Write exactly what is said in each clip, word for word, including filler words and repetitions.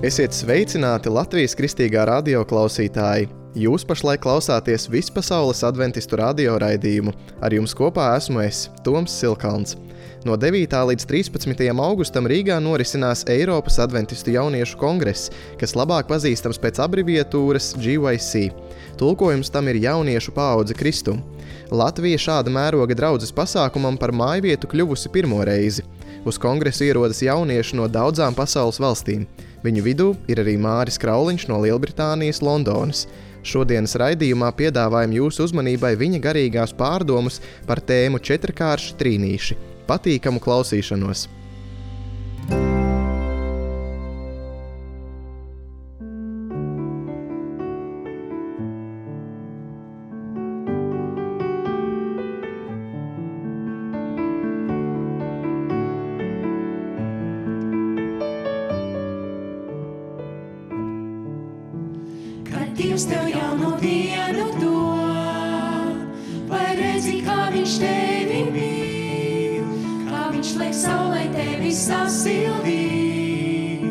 Esiet sveicināti Latvijas kristīgā radio klausītāji! Jūs pašlaik klausāties vispasaules adventistu radio raidījumu. Ar jums kopā esmu es, Toms Silkalns. No devītā līdz trīspadsmitajam augustam Rīgā norisinās Eiropas adventistu jauniešu kongress, kas labāk pazīstams pēc abreviatūras G Y C. Tulkojums tam ir jauniešu paudze Kristum. Latvija šāda mēroga draudzes pasākumam par mājvietu kļuvusi pirmo reizi. Uz kongresu ierodas jaunieši no daudzām pasaules valstīm. Viņu vidū ir arī Māris Krauliņš no Lielbritānijas Londonas. Šodienas raidījumā piedāvājam jūsu uzmanībai viņa garīgās pārdomas par tēmu četrkārši trīnīši. Patīkamu klausīšanos! Dievs tev jaunu dienu dod, vai redzi, kā viņš tevi mīl, kā viņš liek saulē tevi sasildīt,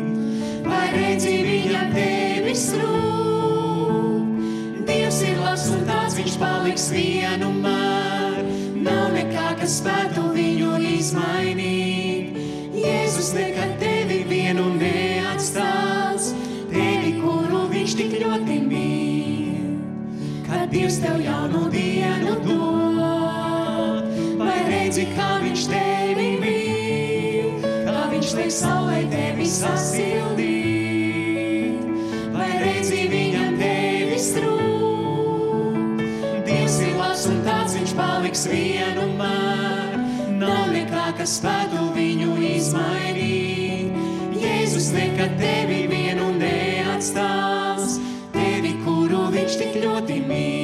vai redzi, viņam tevis rūp. Dievs ir labs un tāds viņš paliks vienmēr, nav nekā, kas spētu viņu izmainīt. Jēzus nekad tevi vienu neatstās, tevi, kuru viņš tik ļoti mīl. Kad Dievs tev jaunu dienu dod, vai redzi, kā viņš tevi mīl, kā viņš liek saulē tevi sasildīt, vai redzi, viņam tevis rūp. Dievs ir labs un tāds viņš paliks vienmēr, nav nekā, kas spētu viņu izmainīt. Jēzus nekad tevi vienu neatstās, tevi, kuru viņš tik ļoti mīl.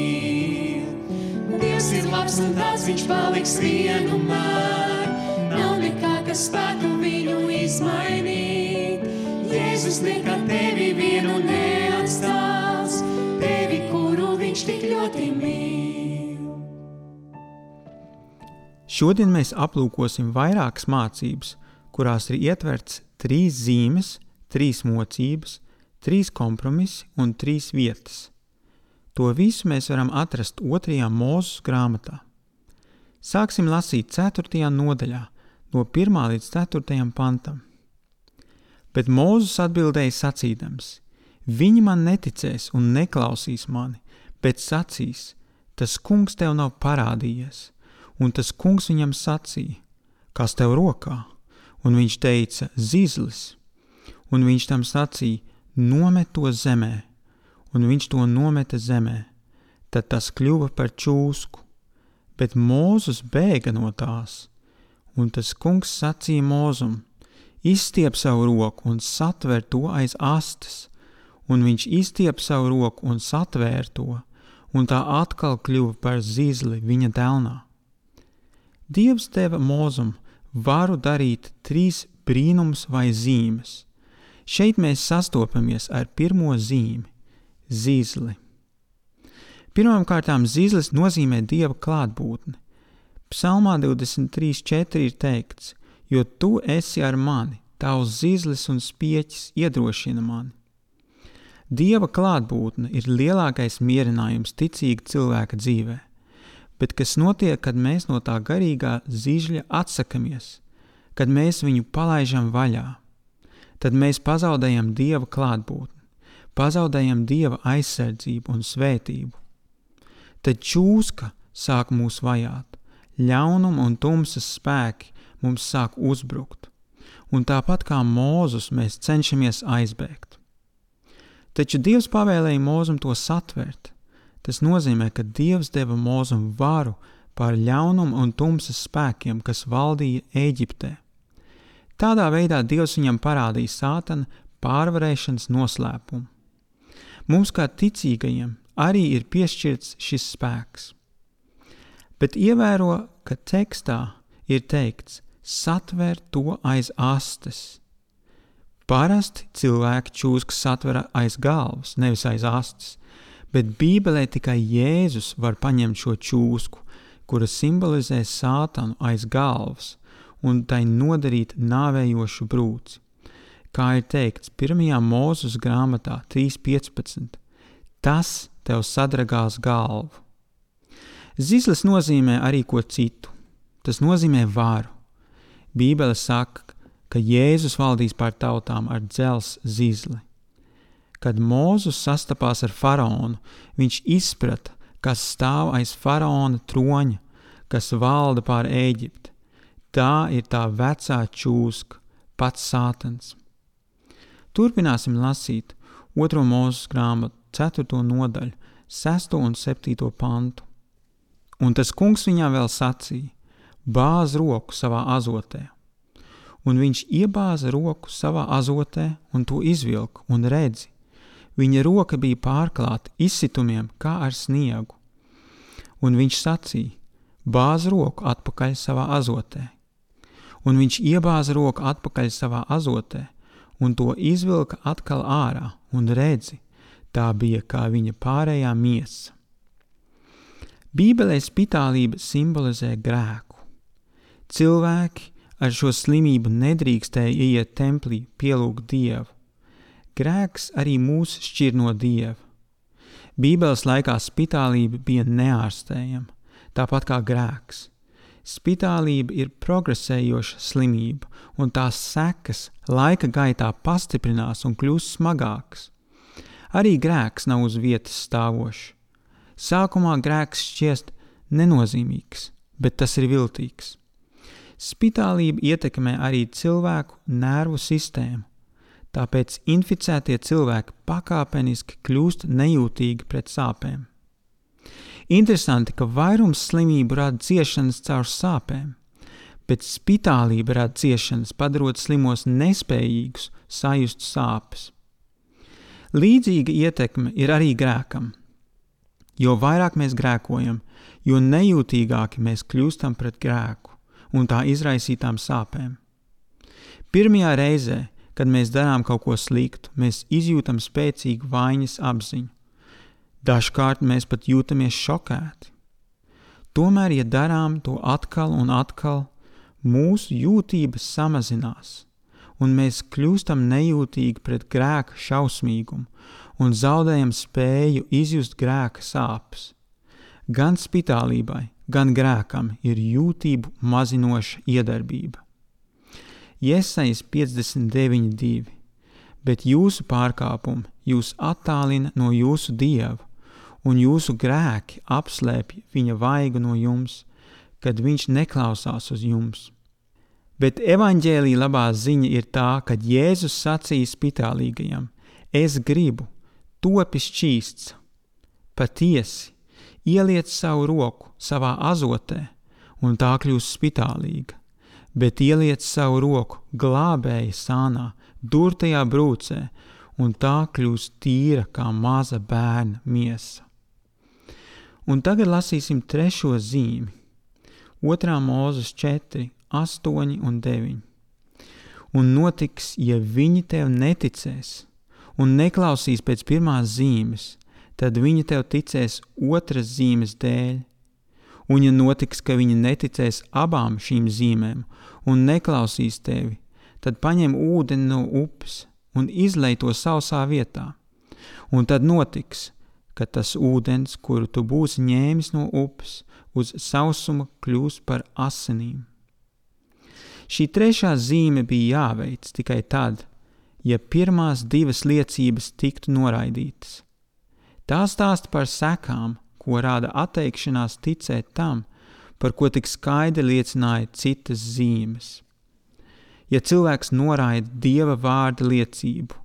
Dievs ir labs un tāds viņš paliks vienmēr, nav nekā, kas spētu viņu izmainīt. Jēzus nekad tevi vienu neatstās, tevi, kuru viņš tik ļoti mīl. Šodien mēs aplūkosim vairākas mācības, kurās ir ietverts trīs zīmes, trīs mocības, trīs kompromisi un trīs vietas. To visu mēs varam atrast otrajā Mūzes grāmatā. Sāksim lasīt ceturtajā nodaļā, no pirmā līdz ceturtajam pantam. Bet Mūzes atbildēja sacīdams: Viņi man neticēs un neklausīs mani, bet sacīs: Tas kungs tev nav parādījies. Un tas kungs viņam sacīja: Kas tev rokā? Un viņš teica: Zizlis. Un viņš tam sacīja: Nomet to zemē. Un viņš to nometa zemē. Tad tas kļuva par čūsku. Bet Mūzes bēga no tās. Un tas kungs sacīja Mūzum: Izstiep savu roku un satver to aiz astes. Un viņš izstiep savu roku un satvēra to, un tā atkal kļuva par zizli viņa delnā. Dievs deva Mūzum varu darīt trīs brīnumus vai zīmes. Šeit mēs sastopamies ar pirmo zīmi – zizli. Pirmām kārtām zizlis nozīmē Dieva klātbūtni. Psalmā divdesmit trīs četri ir teikts: Jo tu esi ar mani, tavs zizlis un spieķis iedrošina mani. Dieva klātbūtne ir lielākais mierinājums ticīga cilvēka dzīvē. Bet kas notiek, kad mēs no tā garīgā zižļa atsakamies, kad mēs viņu palaižam vaļā? Tad mēs pazaudējam Dieva klātbūtni, pazaudējam Dieva aizsardzību un svētību. Tad čūska sāk mūs vajāt, ļaunuma un tumsas spēki mums sāk uzbrukt, un tāpat kā Mūzus mēs cenšamies aizbēgt. Taču Dievs pavēlēja Mūzum to satvert. Tas nozīmē, ka Dievs deva Mūzum varu pār ļaunumu un tumsas spēkiem, kas valdīja Ēģiptē. Tādā veidā Dievs viņam parādīja Sātana pārvarēšanas noslēpumu. Mums kā ticīgajiem arī ir piešķirts šis spēks. Bet ievēro, ka tekstā ir teikts: satver to aiz astes. Parasti cilvēki čūskas satver aiz galvas, nevis aiz astes, bet Bībelē tikai Jēzus var paņemt šo čūsku, kura simbolizē Sātanu aiz galvas, un tai nodarīt nāvējošu brūci. kā ir teikts pirmajā Mūzes grāmatā trīs piecpadsmit, tas tev sadragās galvu. Zizlis nozīmē arī ko citu. Tas nozīmē varu. Bībele saka, ka Jēzus valdīs pār tautām ar dzels zizli. Kad Mūzes sastapās ar faraonu, viņš izprata, kas stāv aiz faraona troņa, kas valda pār Ēģipti. Tā ir tā vecā čūska, pats Sātans. Turpināsim lasīt otro Mūzes grāmatu, ceturto nodaļu, sesto un septīto pantu. Un tas kungs viņām vēl sacīja, bāz roku savā azotē. Un viņš iebāza roku savā azotē un to izvilka, un redzi, viņa roka bija pārklāta izsitumiem kā ar sniegu. Un viņš sacīja, bāz roku atpakaļ savā azotē. Un viņš iebāza roku atpakaļ savā azotē, un to izvilka atkal ārā, un redzi, tā bija kā viņa pārējā miesa. Bībelē spitālība simbolizē grēku. Cilvēki ar šo slimību nedrīkstēja ieiet templī pielūgt Dievu. Grēks arī mūs šķir no Dieva. Bībeles laikā spitālība bija neārstējama, tāpat kā grēks. Spitālība ir progresējoša slimība, un tās sekas laika gaitā pastiprinās un kļūs smagākas. Arī grēks nav uz vietas stāvošs. Sākumā grēks šķiest nenozīmīgs, bet tas ir viltīgs. Spitālība ietekmē arī cilvēku nervu sistēmu, tāpēc inficētie cilvēki pakāpeniski kļūst nejūtīgi pret sāpēm. Interesanti, ka vairums slimību rada ciešanas caur sāpēm, bet spitālība rada ciešanas, padarot slimos nespējīgus sajust sāpes. Līdzīga ietekme ir arī grēkam. Jo vairāk mēs grēkojam, jo nejūtīgāki mēs kļūstam pret grēku un tā izraisītām sāpēm. Pirmajā reizē, kad mēs darām kaut ko sliktu, mēs izjūtam spēcīgu vainas apziņu. Dažkārt mēs pat jūtamies šokēti. Tomēr, ja darām to atkal un atkal, mūsu jūtības samazinās, un mēs kļūstam nejūtīgi pret grēka šausmīgumu un zaudējam spēju izjust grēka sāpes. Gan spitālībai, gan grēkam ir jūtību mazinoša iedarbība. Jesajas piecdesmit deviņi divi. Bet jūsu pārkāpumi jūs attālina no jūsu Dieva, un jūsu grēki apslēpj viņa vaigu no jums, kad viņš neklausās uz jums. Bet evaņģēlija labā ziņa ir tā, kad Jēzus sacīja spitālīgajam, es gribu, topi šķīsts. Patiesi, ieliec savu roku savā azotē, un tā kļūs spitālīga, bet ieliec savu roku glābēja sānā, durtajā brūcē, un tā kļūs tīra kā maza bērna miesa. Un tagad lasīsim trešo zīmi. Otrā Mūzes četri, astoņi un deviņi. Un notiks, ja viņi tev neticēs un neklausīs pēc pirmās zīmes, tad viņi tev ticēs otras zīmes dēļ. Un ja notiks, ka viņi neticēs abām šīm zīmēm un neklausīs tevi, tad paņem ūdeni no upes un izlej to sausā vietā. Un tad notiks, ka tas ūdens, kuru tu būsi ņēmis no upes, uz sausuma kļūs par asinīm. Šī trešā zīme bija jāveic tikai tad, ja pirmās divas liecības tiktu noraidītas. Tā stāsta par sekām, ko rāda atteikšanās ticēt tam, par ko tik skaidri liecināja citas zīmes. Ja cilvēks noraida Dieva vārda liecību,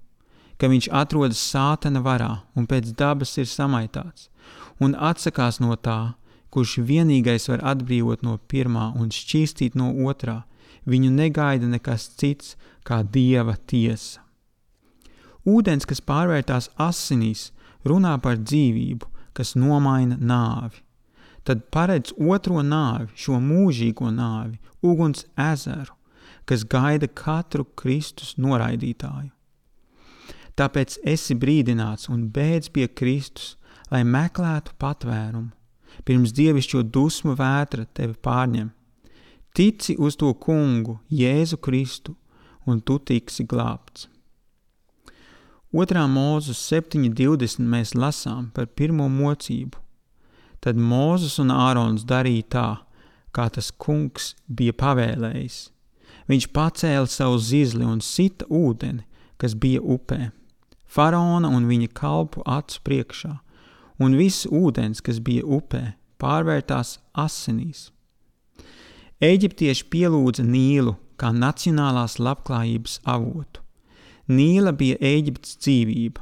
ka viņš atrodas Sātana varā un pēc dabas ir samaitāts, un atsakās no tā, kurš vienīgais var atbrīvot no pirmā un šķīstīt no otrā, viņu negaida nekas cits kā Dieva tiesa. Ūdens, kas pārvērtās asinīs, runā par dzīvību, kas nomaina nāvi. Tad paredz otro nāvi, šo mūžīgo nāvi, uguns ezeru, kas gaida katru Kristus noraidītāju. Tāpēc esi brīdināts un bēdz pie Kristus, lai meklētu patvērumu, pirms dievišķo dusmu vētra tevi pārņem. Tici uz to kungu, Jēzu Kristu, un tu tiksi glābts. Otrā Mūzes septiņi divdesmit mēs lasām par pirmo mocību. Tad Mūzes un Ārons darīja tā, kā tas kungs bija pavēlējis. Viņš pacēla savu zizli un sita ūdeni, kas bija upē, faraona un viņa kalpu acu priekšā, un viss ūdens, kas bija upē, pārvērtās asinīs. Eģiptieši pielūdza Nīlu kā nacionālās labklājības avotu. Nīla bija Ēģiptes dzīvība.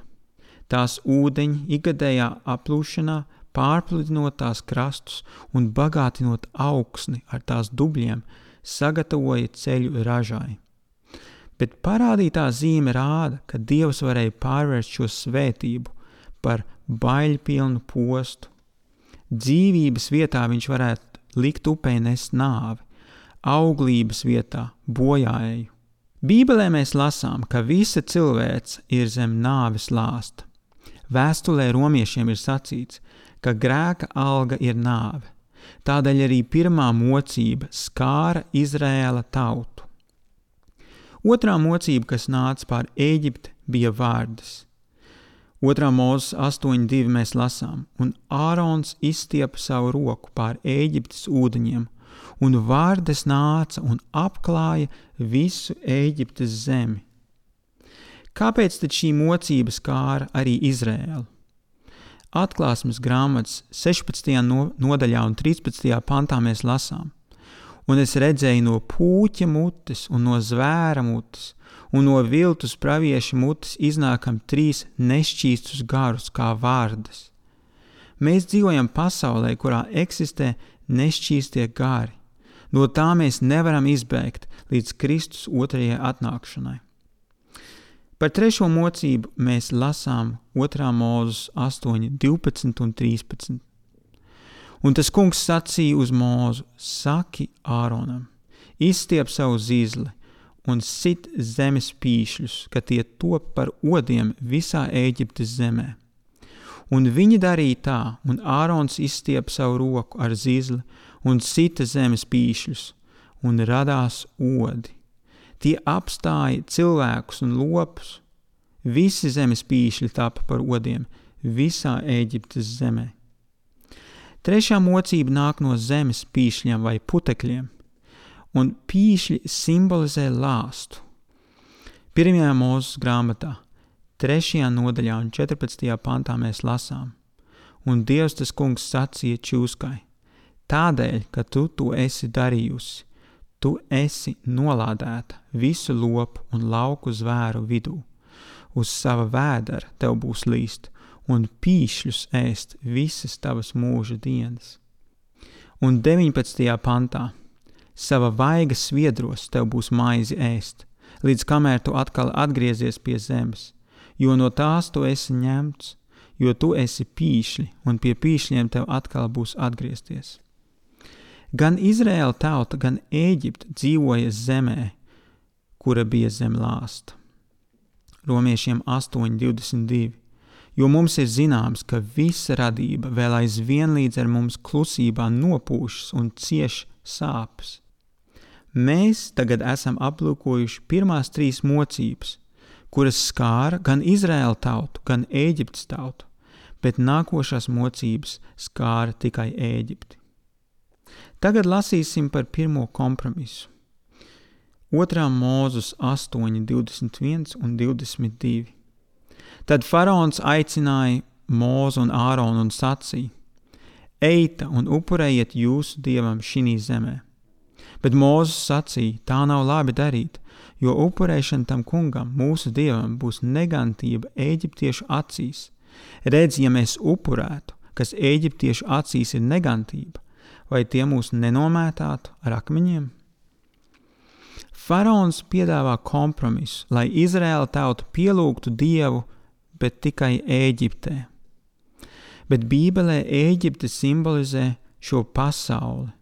Tās ūdeņi ikgadējā aplūšanā pārpludinot tās krastus un bagātinot augsni ar tās dubļiem, sagatavoja ceļu ražai. Bet parādītā zīme rāda, ka Dievs varēja pārvērst šo svētību par baiļpilnu postu. Dzīvības vietā viņš varētu likt upē nest nāvi, auglības vietā bojāēju. Bībelē mēs lasām, ka visa cilvēce ir zem nāves lāsta. Vēstulē romiešiem ir sacīts, ka grēka alga ir nāve. Tādēļ arī pirmā mocība skāra Izraēla tautu. Otrā mocība, kas nāca pār Ēģipti, bija vārdas. Otrā Mūzes astoņi divi mēs lasām, un Ārons izstiepa savu roku pār Ēģiptes ūdeņiem, un vārdes nāca un apklāja visu Ēģiptes zemi. Kāpēc tad šī mocība skāra arī Izraēlu? Atklāsmes grāmatas sešpadsmitajā nodaļā un trīspadsmitajā pantā mēs lasām. Un es redzēju no pūķa mutes un no zvēra mutes un no viltus pravieša mutes iznākam trīs nešķīstus garus kā vārdas. Mēs dzīvojam pasaulē, kurā eksistē nešķīstie gari. No tā mēs nevaram izbēgt līdz Kristus otrajai atnākšanai. Par trešo mocību mēs lasām otrā Mūzes astoņi divpadsmit un trīspadsmit. Un tas kungs sacīja uz Mūzu, saki Āronam, izstiep savu zizli un sit zemes pīšļus, ka tie top par odiem visā Ēģiptes zemē. Un viņi darīja tā, un Ārons izstiep savu roku ar zizli un sita zemes pīšļus, un radās odi. Tie apstāja cilvēkus un lopus. Visi zemes pīšļi tapa par odiem visā Ēģiptes zemē. Trešā mocība nāk no zemes pīšļiem vai putekļiem, un pīšļi simbolizē lāstu. Pirmajā Mūzes grāmatā, trešajā nodaļā un četrpadsmitajā pantā mēs lasām, un Dievs tas kungs sacīja čūskai, tādēļ, ka tu to esi darījusi, tu esi nolādēta visu lopu un lauku zvēru vidū. Uz sava vēdera tev būs līst, un pīšļus ēst visas tavas mūža dienas. Un deviņpadsmitajā pantā, sava vaiga sviedros tev būs maizi ēst, līdz kamēr tu atkal atgriezies pie zemes, jo no tās tu esi ņemts, jo tu esi pīšļi, un pie pīšļiem tev atkal būs atgriezties. Gan Izraēla tauta, gan Ēģipte dzīvoja zemē, kura bija zem lāsta. Romiešiem astoņi divdesmit divi. Jo mums ir zināms, ka visa radība vēl aizvien līdz ar mums klusībā nopūšas un cieš sāpes. Mēs tagad esam aplūkojuši pirmās trīs mocības, kuras skāra gan Izraēla tautu, gan Ēģiptes tautu, bet nākošās mocības skāra tikai Ēģipti. Tagad lasīsim par pirmo kompromisu. Otrā Mūzes astoņi divdesmit viens un divdesmit divi. Tad faraons aicināja Mūzu un Āronu un sacīja, eita un upurējiet jūsu dievam šinī zemē. Bet Mūzes sacīja, tā nav labi darīt, jo upurēšana tam kungam, mūsu dievam, būs negantība Ēģiptiešu acīs. Redz, ja mēs upurētu, kas Ēģiptiešu acīs ir negantība, vai tie mūs nenomētātu ar akmeņiem? Faraons piedāvā kompromisu, lai Izraēla tauta pielūgtu Dievu, bet tikai Ēģiptē. Bet Bībelē Ēģipte simbolizē šo pasauli,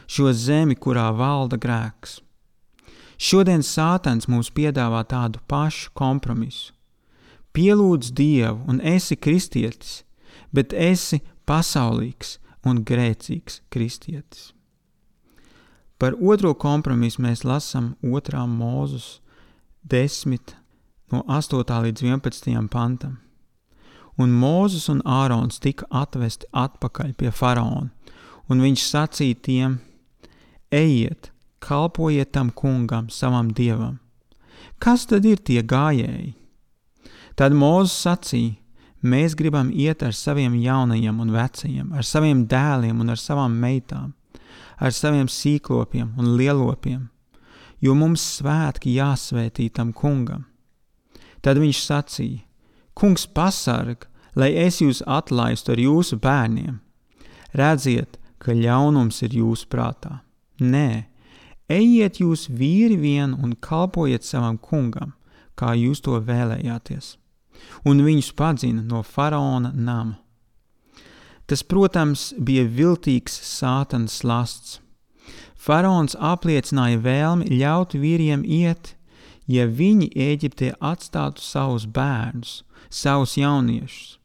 šo zemi, kurā valda grēks. Šodien Sātans mums piedāvā tādu pašu kompromisu. Pielūdz Dievu un esi kristietis, bet esi pasaulīgs un grēcīgs kristietis. Par otro kompromisu mēs lasām otrā Mūzes desmit no astotā līdz vienpadsmitajam pantam. Un Mūzes un Ārons tika atvesti atpakaļ pie faraona, un viņš sacīja tiem: ejiet, kalpojiet tam kungam, savam dievam. Kas tad ir tie gājēji? Tad Mūzes sacīja: mēs gribam iet ar saviem jaunajiem un vecajiem, ar saviem dēliem un ar savām meitām, ar saviem sīklopiem un lielopiem, jo mums svētki jāsvētī tam kungam. Tad viņš sacīja: kungs pasarg, lai es jūs atlaistu ar jūsu bērniem. Redziet, ka ļaunums ir jūsu prātā. Nē, ejiet jūs vīri vien un kalpojiet savam kungam, kā jūs to vēlējāties. Un viņus padzina no faraona nama. Tas, protams, bija viltīgs sātana slasts. Faraons apliecināja vēlmi ļaut vīriem iet, ja viņi Ēģiptē atstātu savus bērnus, savus jauniešus.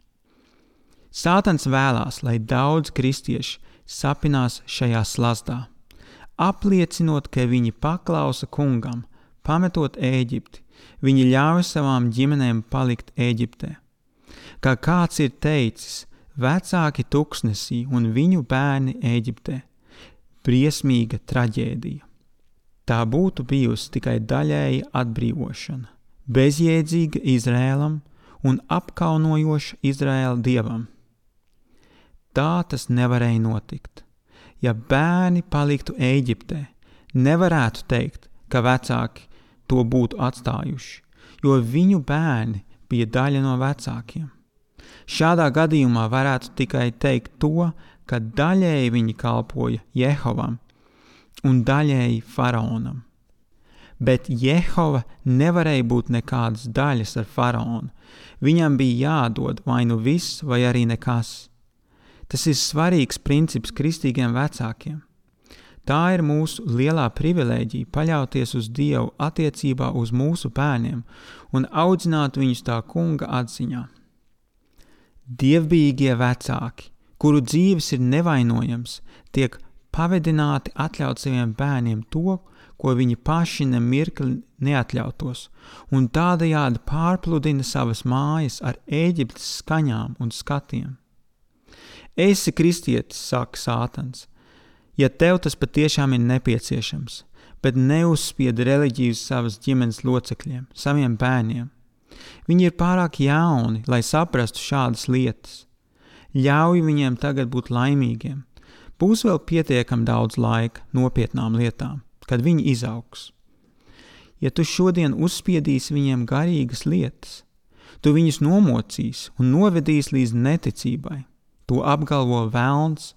Sātans vēlās, lai daudz kristieši sapinās šajā slazdā, apliecinot, ka viņi paklausa kungam, pametot Ēģipti, viņi ļauj savām ģimenēm palikt Ēģiptē. Kā kāds ir teicis, vecāki tuksnesī un viņu bērni Ēģiptē. Briesmīga traģēdija. Tā būtu bijusi tikai daļēja atbrīvošana, bezjēdzīga Izrēlam un apkaunojoša Izrēla dievam. Tā tas nevarēja notikt. Ja bērni paliktu Ēģiptē, nevarētu teikt, ka vecāki to būtu atstājuši, jo viņu bērni bija daļa no vecākiem. Šādā gadījumā varētu tikai teikt to, ka daļēji viņi kalpoja Jehovam un daļēji faraonam. Bet Jehova nevarēja būt nekādas daļas ar faraonu. Viņam bija jādod vai nu viss, vai arī nekas. Tas ir svarīgs princips kristīgiem vecākiem. Tā ir mūsu lielā privilēģija paļauties uz Dievu attiecībā uz mūsu bērniem un audzināt viņus tā kunga atziņā. Dievbijīgie vecāki, kuru dzīves ir nevainojams, tiek pavedināti atļaut saviem bērniem to, ko viņi paši nemirkli neatļautos, un tādējādi pārpludina savas mājas ar Ēģiptes skaņām un skatiem. Esi kristietis, saka Sātans, ja tev tas patiešām ir nepieciešams, bet neuzspied reliģiju savas ģimenes locekļiem, saviem bērniem. Viņi ir pārāk jauni, lai saprastu šādas lietas. Ļauj viņiem tagad būt laimīgiem. Būs vēl pietiekami daudz laika nopietnām lietām, kad viņi izaugs. Ja tu šodien uzspiedīsi viņiem garīgas lietas, tu viņus nomocīs un novedīs līdz neticībai. To apgalvo velns,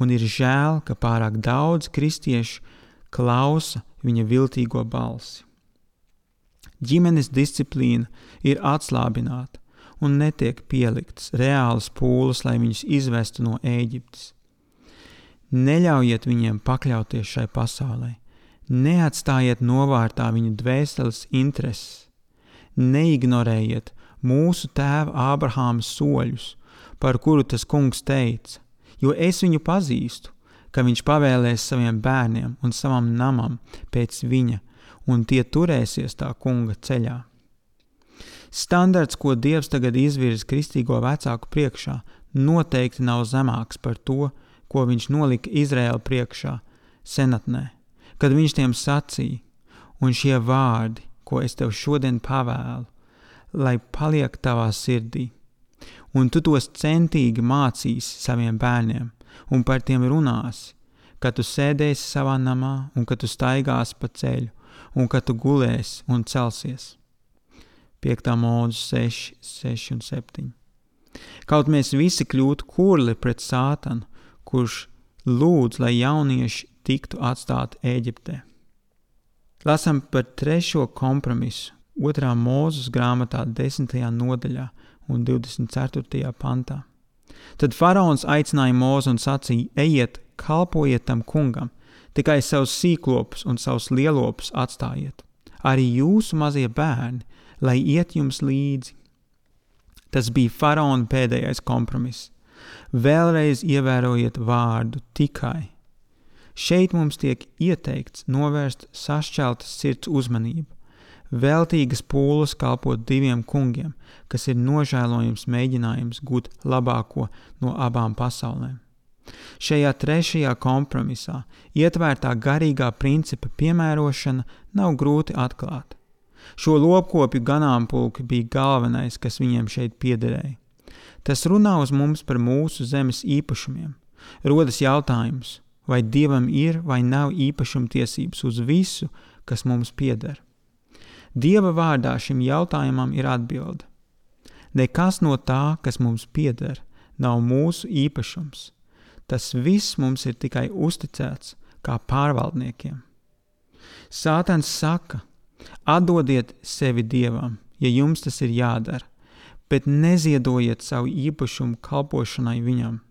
un ir žēl, ka pārāk daudz kristiešu klausa viņa viltīgo balsi. Ģimenes disciplīna ir atslābināta un netiek pieliktas reālas pūles, lai viņus izvestu no Ēģiptes. Neļaujiet viņiem pakļauties šai pasaulē. Neatstājiet novārtā viņu dvēseles intereses. Neignorējiet mūsu tēva Ābrahāma soļus, par kuru tas kungs teica, jo es viņu pazīstu, ka viņš pavēlēs saviem bērniem un savam namam pēc viņa, un tie turēsies tā kunga ceļā. Standarts, ko Dievs tagad izvirza kristīgo vecāku priekšā, noteikti nav zemāks par to, ko viņš nolika Izraēla priekšā senatnē, kad viņš tiem sacīja, un šie vārdi, ko es tev šodien pavēlu, lai paliek tavā sirdī, un tu tos centīgi mācīsi saviem bērniem, un par tiem runāsi, kad tu sēdēsi savā namā, un kad tu staigāsi pa ceļu, un kad tu gulēsi un celsies. piektā Mūzes seši, seši un septiņi. Kaut mēs visi kļūtu kurli pret Sātanu, kurš lūdz, lai jaunieši tiktu atstāti Ēģiptē. Lasam par trešo kompromisu otrā Mūzes grāmatā desmitajā nodaļā un divdesmit ceturtajā pantā. Tad faraons aicināja Mūzu un sacīja, ejiet, kalpojiet tam kungam, tikai savus sīklopus un savus lielopus atstājiet. Arī jūsu mazie bērni, lai iet jums līdzi. Tas bija faraona pēdējais kompromiss. Vēlreiz ievērojiet vārdu tikai. Šeit mums tiek ieteikts novērst sašķeltas sirds uzmanību. veltīgas pūles kalpot diviem kungiem, kas ir nožēlojams mēģinājums gūt labāko no abām pasaulēm. Šajā trešajā kompromisā ietvērtā garīgā principa piemērošana nav grūti atklāt. Šo lopkopju ganāmpulki bija galvenais, kas viņiem šeit piederēja. Tas runā uz mums par mūsu zemes īpašumiem. Rodas jautājums, vai Dievam ir vai nav īpašumtiesības uz visu, kas mums pieder. Dieva vārdā šim jautājumam ir atbilde. Nekas no tā, kas mums pieder, nav mūsu īpašums. Tas viss mums ir tikai uzticēts kā pārvaldniekiem. Sātans saka, atdodiet sevi Dievam, ja jums tas ir jādara, bet neziedojiet savu īpašumu kalpošanai viņam.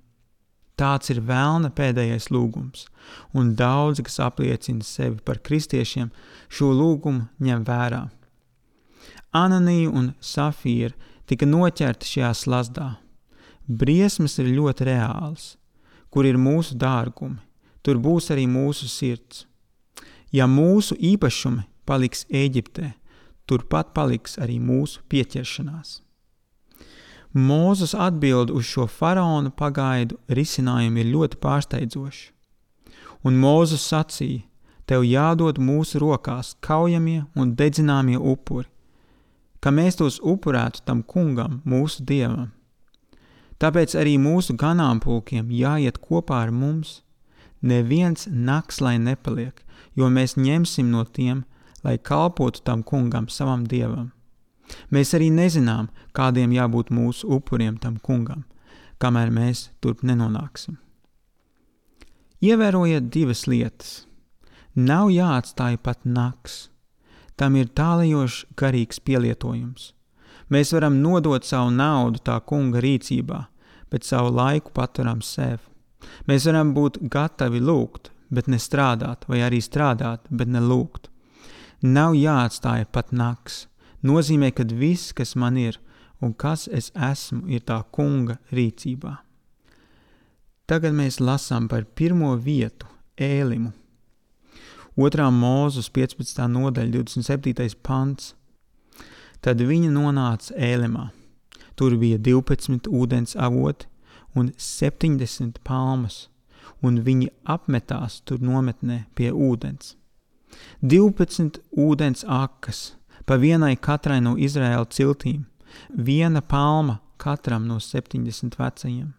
Tāds ir velna pēdējais lūgums, un daudzi, kas apliecina sevi par kristiešiem, šo lūgumu ņem vērā. Ananija un Safīra tika noķerti šajā slazdā. Briesmas ir ļoti reāls. Kur ir mūsu dārgumi, tur būs arī mūsu sirds. Ja mūsu īpašumi paliks Ēģiptē, turpat paliks arī mūsu pieķeršanās. Mūzes atbild uz šo faraona pagaidu risinājumu ir ļoti pārsteidzoši. Un Mūzes sacīja, tev jādod mūsu rokās kaujamie un dedzināmie upuri, ka mēs tos upurētu tam kungam, mūsu Dievam. Tāpēc arī mūsu ganāmpulkiem jāiet kopā ar mums. Neviens naks lai nepaliek, jo mēs ņemsim no tiem, lai kalpotu tam kungam, savam Dievam. Mēs arī nezinām, kādiem jābūt mūsu upuriem tam kungam, kamēr mēs turp nenonāksim. Ievērojiet divas lietas. Nav jāatstāj pat naks. Tam ir tālajošs garīgs pielietojums. Mēs varam nodot savu naudu tā kunga rīcībā, bet savu laiku paturam sev. Mēs varam būt gatavi lūgt, bet ne strādāt, vai arī strādāt, bet ne lūgt. Nav jāatstāja pat naks. Nozīmē, ka viss, kas man ir un kas es esmu, ir tā kunga rīcībā. Tagad mēs lasām par pirmo vietu, Ēlimu. Otrā Mūzes piecpadsmitā nodaļa, divdesmit septītais pants. Tad viņa nonāca Ēlimā. Tur bija divpadsmit ūdens avoti un septiņdesmit palmas, un viņi apmetās tur nometnē pie ūdens. Divpadsmit ūdens akas, pa vienai katrai no Izraēla ciltīm, viena palma katram no septiņdesmit vecajiem.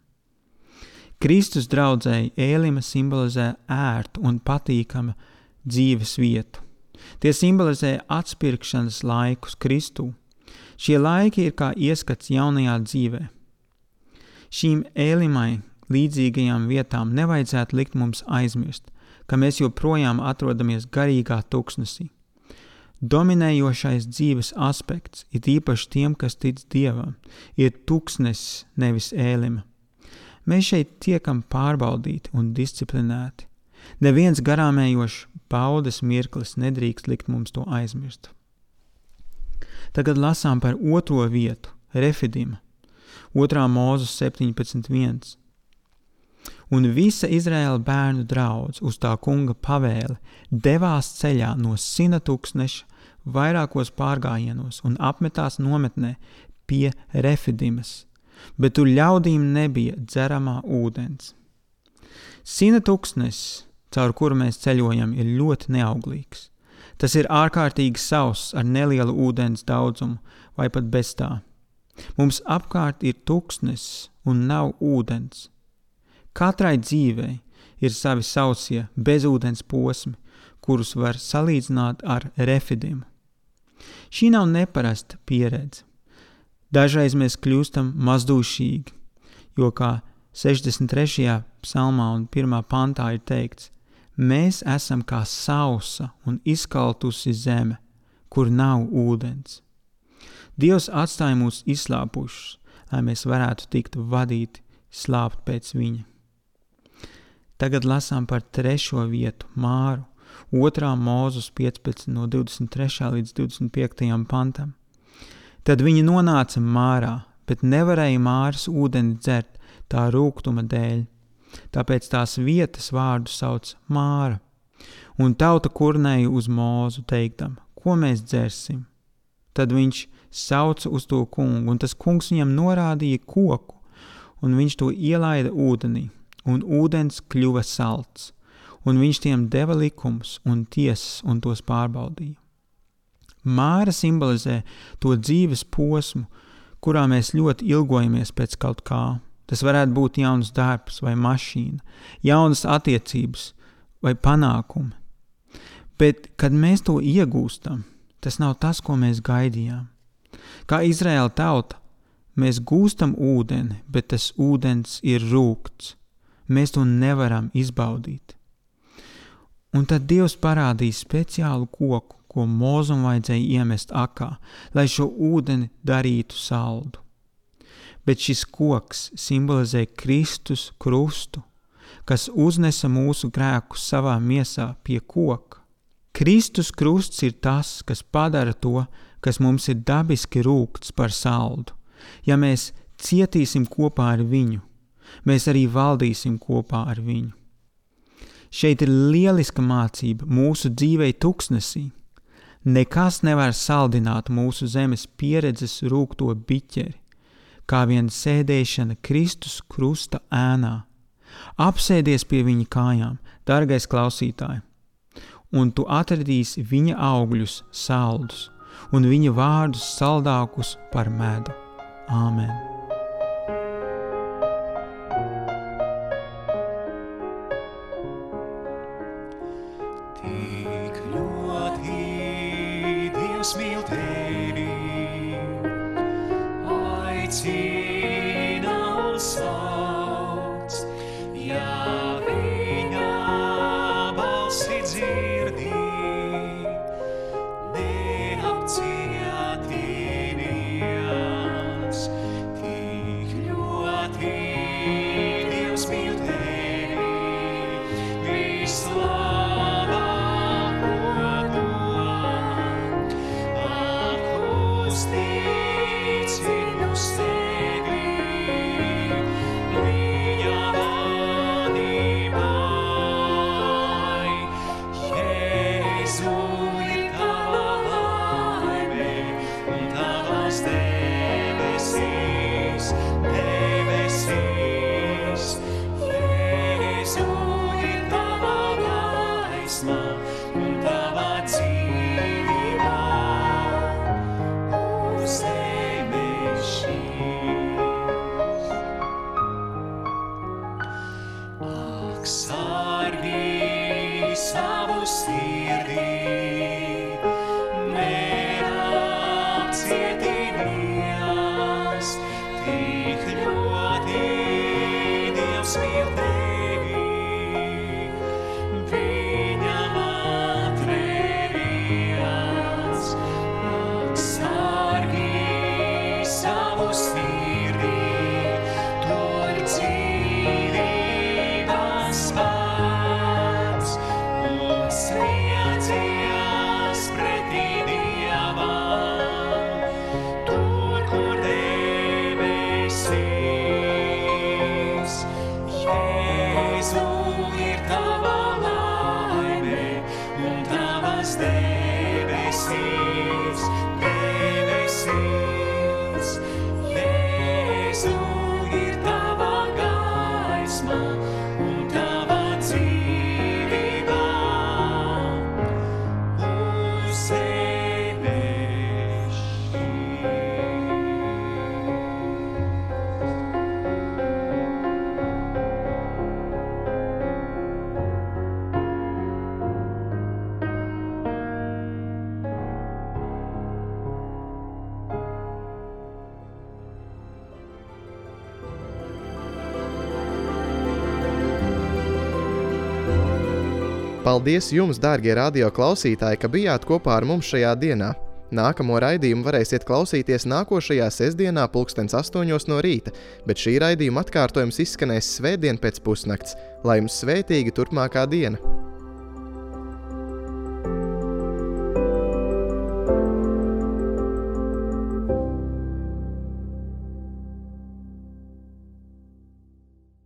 Kristus draudzēji Ēlima simbolizē ērtu un patīkamu dzīves vietu. Tie simbolizē atspirkšanas laikus Kristū. Šie laiki ir kā ieskats jaunajā dzīvē. Šīm Ēlimai līdzīgajām vietām nevajadzētu likt mums aizmirst, ka mēs joprojām atrodamies garīgā tuksnesī. Dominējošais dzīves aspekts, it īpaši tiem, kas tic Dievam, ir tuksnesis, nevis Ēlima. Mēs šeit tiekam pārbaudīti un disciplinēti. Neviens garāmējošs baudas mirklis nedrīkst likt mums to aizmirst. Tagad lasām par otro vietu, Refidima, otrā Mūzes septiņpadsmit viens. Un visa Izraēla bērnu draudz uz tā kunga pavēli devās ceļā no Sina tūkstneša vairākos pārgājienos un apmetās nometnē pie Refidimas, bet tur ļaudīm nebija dzeramā ūdens. Sina tūkstnesis, caur kuru mēs ceļojam, ir ļoti neauglīgs. Tas ir ārkārtīgi sauss ar nelielu ūdens daudzumu vai pat bez tā. Mums apkārt ir tūkstnesis un nav ūdens. Katrai dzīvei ir savi sausie bezūdens posmi, kurus var salīdzināt ar Refidimu. Šī nav neparasta pieredze. Dažreiz mēs kļūstam mazdūšīgi, jo kā sešdesmit trešajā psalmā un pirmā pantā ir teikts, mēs esam kā sausa un izkaltusi zeme, kur nav ūdens. Dievs atstāja mūs izslāpušus, lai mēs varētu tikt vadīti slāpt pēc viņa. Tagad lasām par trešo vietu, Māru, otrā Mūzes piecpadsmit no divdesmit trešā līdz divdesmit piektajam pantam. Tad viņi nonāca Mārā, bet nevarēja Māras ūdeni dzert tā rūgtuma dēļ. Tāpēc tās vietas vārdu sauc Māra. Un tauta kurnēja uz Mūzu teikdam, ko mēs dzersim. Tad viņš sauca uz to kungu, un tas kungs viņam norādīja koku, un viņš to ielaida ūdenī, un ūdens kļuva salds, un viņš tiem deva likumus un tiesas un tos pārbaudīja. Māra simbolizē to dzīves posmu, kurā mēs ļoti ilgojamies pēc kaut kā. Tas varētu būt jauns darbs vai mašīna, jaunas attiecības vai panākumi. Bet, kad mēs to iegūstam, tas nav tas, ko mēs gaidījām. Kā Izraēla tauta, mēs gūstam ūdeni, bet tas ūdens ir rūgts. Mēs to nevaram izbaudīt. Un tad Dievs parādīja speciālu koku, ko Mozum vajadzēja iemest akā, lai šo ūdeni darītu saldu. Bet šis koks simbolizē Kristus krustu, kas uznesa mūsu grēkus savā miesā pie koka. Kristus krusts ir tas, kas padara to, kas mums ir dabiski rūgts par saldu. Ja mēs cietīsim kopā ar viņu, mēs arī valdīsim kopā ar viņu. Šeit ir lieliska mācība mūsu dzīvei tuksnesī. Nekas nevar saldināt mūsu zemes pieredzes rūgto biķeri, kā vien sēdēšana Kristus krusta ēnā. Apsēdies pie viņa kājām, dargais klausītāj, un tu atradīsi viņa augļus saldus, un viņa vārdus saldākus par medu. Āmen. Tik ļoti Dievs mīl tevi, aicina un sauc, ja viņa balsi dzirdi, neapcietinies. Tik ļoti Dievs mīl tevi, vislabāko dod, atkustīts viņu sevi, viņa vadībai. Jēzu ir tava laime, un tavas debesīs, debesīs. Jēzu ir tava gaisma, un tava dzīvība uz zemes šīs. Ak, sargi savu sirdī, neapcietinies. Tik ļoti Dievs mīl tevi, viņam atrevies. Ak, sargi savu sirdī, tur dzīvības spēks, un sniedzies pretī Dievam, tur, kur debesīs. Jēzu ir tava laime, un tavas debesīs, debesīs. Jēzu ir tava gaisma, un tava dzīvība uz zemes Paldies jums, dārgie radio klausītāji, ka bijāt kopā ar mums šajā dienā. Nākamo raidījumu varēsiet klausīties nākošajā sestdienā pulkstens astoņos no rīta, bet šī raidījuma atkārtojums izskanēs svētdien pēc pusnakts. Lai jums svētīga turpmākā diena!